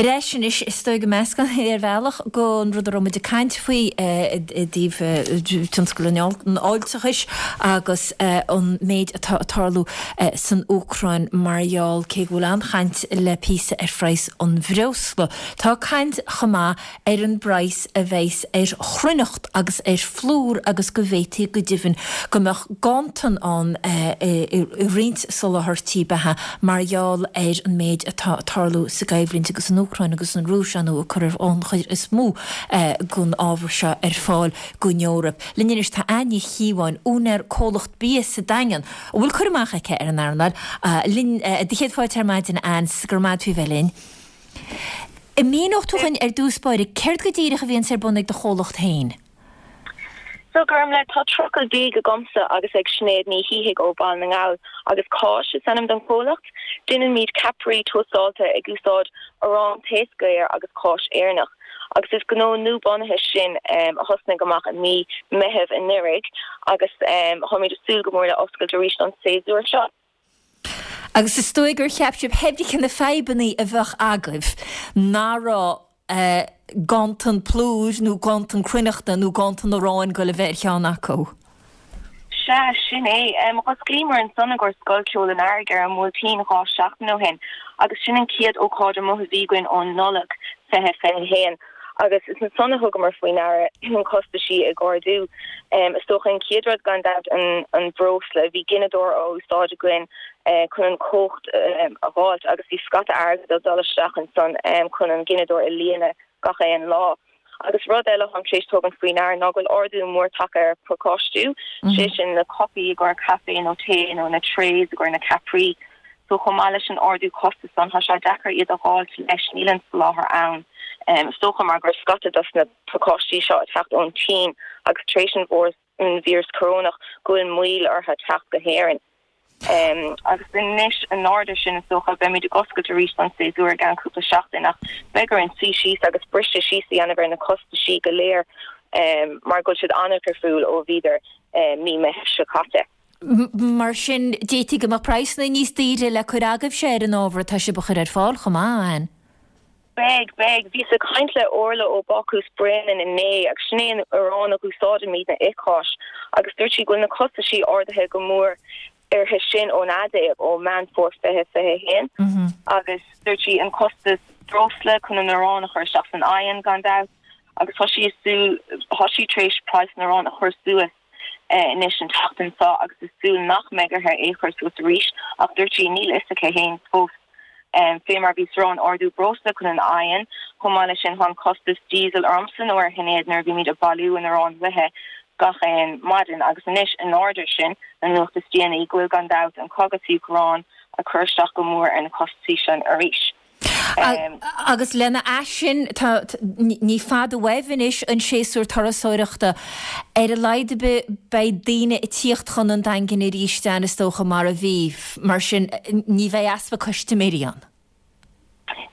Ar ais anois, is dóigh go meascán é ar bhealach den rud a raibh muid ag caint faoi i dtaobh tionscal an fháilteachais agus an méid atá ag tarlú san Úcráin mar gheall, cé go bhfuil an-chaint le píosa ar phraghas an bhreosla, tá caint chomh maith ar an bpraghas a bheas ar chruithneacht agus ar phlúr agus go bhféadfaí go deimhin go mbeadh ganntan ann i roinnt soláthairtí beatha mar gheall ar an méid atá ag tarlú sa gcoimhlint agus an Úcráin agus an Rúis, ar ndóigh, ag cur an chuid is mó den ábhar seo ar fáil don Eoraip. Linn anois tá Anne Ní Chíobháin, úinéir comhlacht bia sa Daingean, a bhfuil cur amach aici ar an earnáil. Linn do chéad fáilte ar maidin, a Anne, 's go raibh maith agat faoi bheith linn. An míneodh tú dhúinn ar dtús báire céard go díreach a bhíonns ar bun ag do chomhlacht féin? So, Gormlaith, tá trucail bídh agamsa agus ag Sinéad Ní Shíthigh ó Bhaile na nGall agus Cáis is ainm don chomhlacht. Déanaimid ceapairí tóstáilte ag úsáid arán taos géar agus cáis Éireannach. Agus is gnó nua-bunaithe sin a thosnaigh amach i mí Meitheamh anuraidh agus táimid ag súil go mór le oscailt arís an séasúr seo. Agus is dóigh gur cheap sibh pé bith cé na fadhbannaí a bheadh agaibh, nach raibh ganntan plúir nó ganntan cruithneachta nó ganntan aráin ag goil a bheith ar cheann acu. Sea, sin é. Dh'osclaíomar ansan i gcomhair Scoil Ceoil an Earraigh ar an mBuailtín 2 seachtain ó shin agus sin an chéad ócáid amuigh a bhí againn ó Nollaig 2021. Agus is ansan a thugamar faoi ndeara na costaisí ag ardú. Is dócha an chéad rud gan dabht an breosla. Bhí gineadóir á úsáid againn chun an chumhacht a dh'fháilt agus bhí scata airgid ag dul isteach ansan chun an gineadóir a líonadh gach aon lá. Agus rud eile atáim tar éis tógaint faoi ndeara ná go bhfuil ardú mór tagtha ar phacáistiú, sé sin na cupaí i gcomhair caife nó tae nó na trays i gcomhair na ceapairí. So chomh maith leis an ardú costas san, tá sé deacair iad a dh'fháilt leis, níl an soláthar ann. Is dócha mar go raibh scata dos na pacáistí seo ag teacht ón tSín agus tar éis an an víreas corónach go bhfuil moill orthu teacht go hÉirinn. Agus anois in airde sin is dócha beimid ag oscailt arís don séasúr i gceann cúpla seachtain ach beidh orainn suí síos agus briseadh síos a dhéanamh ar na costaisí go léir mar go bhfuil siad an-difriúil ó bhíodar mí Meitheamh seo caite. Mar sin, d'fhéadfaí go mbeadh praghsanna níos daoire le cur agaibhse ar an ábhar atá sibh a chur ar fáil chomh maith, Anne. Beidh, beidh. Bhíos ag caint le Orla ó Bácús Bréanainn inné agus sin é an arán a dh'úsáidimidne i Cáis agus dúirt sí go bhfuil na costaisí ardaithe go mór uirthi sin ón fhadhb ó Meán Fómhair 2021 agus dúirt sí an costas breosla chun an arán a chur isteach san oigheann gan dabht agus tá sí ag súil, tá sí tar éis praghas an aráin a chur suas. anois an tseachtain seo agus ag súil nach mbeidh uirthi é chur suas arís ach dúirt sí níl fhios aici fhéin fós. Fé mar bhíos ag rá an ardú breosla chun an oigheann, chomh maith leis sin tá an costas diesel ormsa nó ar Shinéad nuair a bhímid ag bailiú an aráin uaithe gach aon maidin agus anois in airde sin na nuacht is déanaí go bhfuil gan dabht an cogadh sa Úcráin ag cur isteach go mór ar na costaisí sin arís. Agus lena ais sin, tá, ní fada uaibh anois an séasúr turasóireachta. Ar a laghad ar bith, beidh daoine ag tíocht chun an Daingin arís, Anne, is dócha, mar a bhí. Mar sin, ní bheidh easpa custaiméirí ann.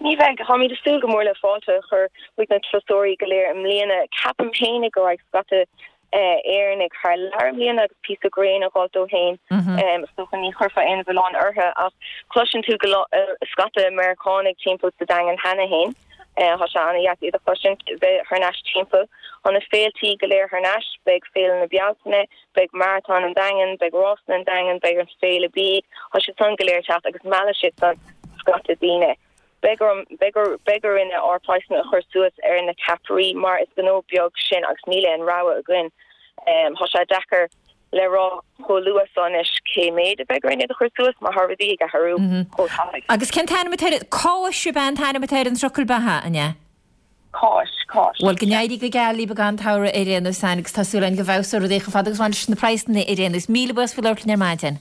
Ní bheidh. Táimid ag súil go mór le fáilte a chur chuig na turasóirí go léir i mbliana. Ceapaim féinig go raghaidh scata Éireannaigh thar lear i mbliana agus píosa gréine a dh'fháilt dóibh féin. Is dócha ní chuirfeá aon mhilleán orthu ach cloiseann tú go scata Meiriceánaigh timpeall sa Daingean cheana féin. Tá sé ana-dheas iad a chloisint bheith thar n-ais timpeall. Tá na féiltí go léir thar n-ais, beidh Féile na Bealtaine, beidh Maratón an Daingin, beidh Rásanna an Daingin, beidh an Féile Bídh, tá siad san go léir ag teacht agus meallfaidh siad san scata daoine. Beidh orm, beidh, beidh orainne ár praghsanna a chur suas ar na ceapairí mar is gnó beag sinn agus níl aon rogha againn. Tá sé deacair le rá chomh luath so anois cé méid a bheidh orainn iad a chur suas mar tá rudaí ag athrú chomh tapaidh. Agus cén t-ainm atá ar, Cáis ab ea an t-ainm atá ar an trucail beatha, an ea? Cáis, cáis. Bhuel, go n-éirí go geal libh don tsamhradh ar aon nós, Anne, agus tá súil againn go bhfeabhsóidh rudaí chomh fada agus a bhaineann leis na praghsanna ar aon nós. Míle buíochas faoi labhairt linn ar maidin.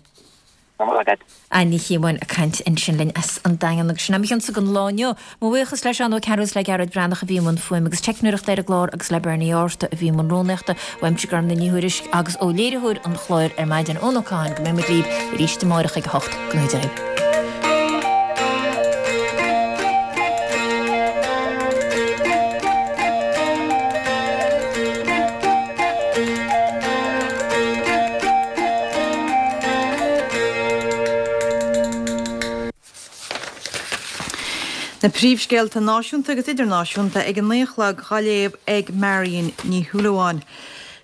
Go raibh maith agat. Anne Ní Chíobháin ag caint ansin linn as an Daingean agus sin é mo chionsa don lá inniu. Mo bhuíochas le Seán Ó Cearúil is le Gearóid Breathnach a bhí i mbun fuaime agus teicneoireachta ar an gclár agus le Bernie Arthur a bhí i mbun rúnaíochta. Uaimse Gormfhlaith Ní Thuairisg agus ó léiritheoir an chláir ar maidin Eoin Ó Catháin go mbeidh muid libh arís amárach ag a 8. Go ngnóthaí Dia dhaoibh. Na príomhscéalta náisiúnta agus idirnáisiúnta ag a 9 a chlog dhá léamh ag Marion Ní Shúilleabháin.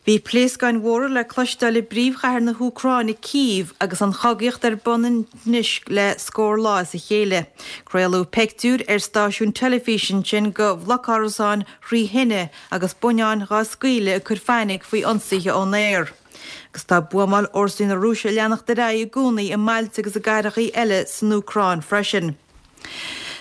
Bhí pléascáin mhóra le cloisteáil i bpríomhchathair na hÚcráine, Cív, agus an chogaíocht ar bun anois le scór lá as a chéile. Craoladh peictiúir ar stáisiún teilifíse ansin de bhlocárasáin thrí thine agus buinneáin dhá scaoileadh ag cur fainic faoi ionsaithe ón aer. Agus tá buamáil fhórsaí na Rúise ag leanacht ar aghaidh i gcónaí i mbailte agus i gcathrachaí eile san Úcráin freisin.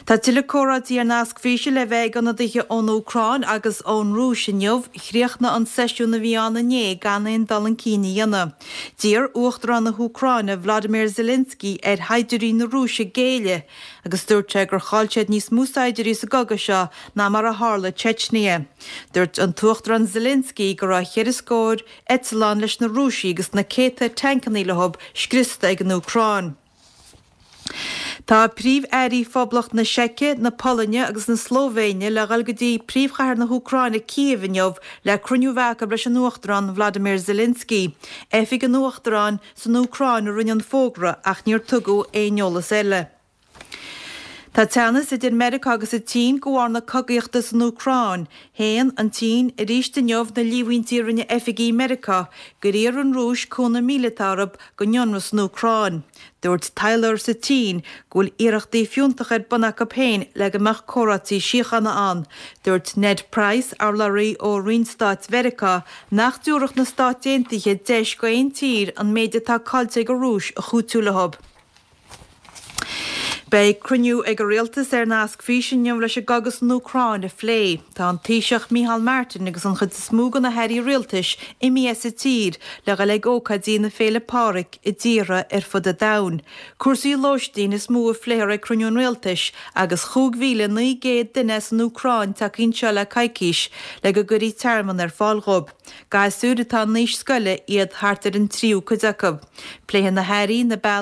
Tá tuilleadh comhráití ar nasc físe le bheith ag ionadaithe ón Úcráin agus ón Rúis inniu. Chríochnaigh an seisiún a bhí ann inné gan aon dul chun cinn a dhéanamh. D'iarr Uachtarán na hÚcráine, Vladimir Zelensky, ar shaighdiúirí na Rúise géilleadh agus dúirt sé gur chaill siad níos mó saighdiúirí sa gcogadh seo ná mar a tharla i Chechnya. Dúirt an tUachtarán Zelensky go raibh cheithre scór eitleán leis na Rúisigh agus na céadta tancannaí leo scriosta ag an Úcráin. Tá Príomh-Airí Phoblacht na Seice, na Polainne agus na Slóivéine le dhul go dtí príomhchathair na hÚcráine, Cív, inniu le cruinniú a bheith acu leis an Uachtarán Vladimir Zelensky. Oifig an Uachtaráin san Úcráin a rinne an fógra ach níor tugadh aon eolas eile. Tá teannas idir Meiriceá agus an tSín de bharr na cogaíochta san Úcráin. Shéan an tSín arís inniu na líomhaintí a rinne oifigigh Meiriceá gur iarr an Rúis cúnamh míleata orthu don ionradh san Úcráin. Dúirt taidhleoir sa tSín go bhfuil iarrachtaí fiúntacha ar bun acu féin le go mbeadh comhráití síochána ann. Dúirt Ned Price, urlabhraí ó Roinn Stáit Mheiriceá, nach dtabharfadh na Stáit Aontaithe deis go aon tír an méid atá caillte ag an Rúis a chúitiú leo. Beidh cruinniú ag an Rialtas ar nasc físe inniu leis an gcogadh san Úcráin a phlé. Tá an Taoiseach Micheál Martin agus an chuid is mó de na hairí rialtais imithe as an tír le dhul ag ócáidí na Féile Pádraig i dtíortha ar fud an domhain. Cúrsaí lóistín is mó a phléifear ag cruinniú an Rialtais agus 5,900 duine as an Úcráin tagtha anseo le coicís le go gcuirfí tearmann ar fáil dhóibh. Gasúir atá in aois scoile iad thart ar an tríú cuid acu. Pléifidh na hairí na bealaí.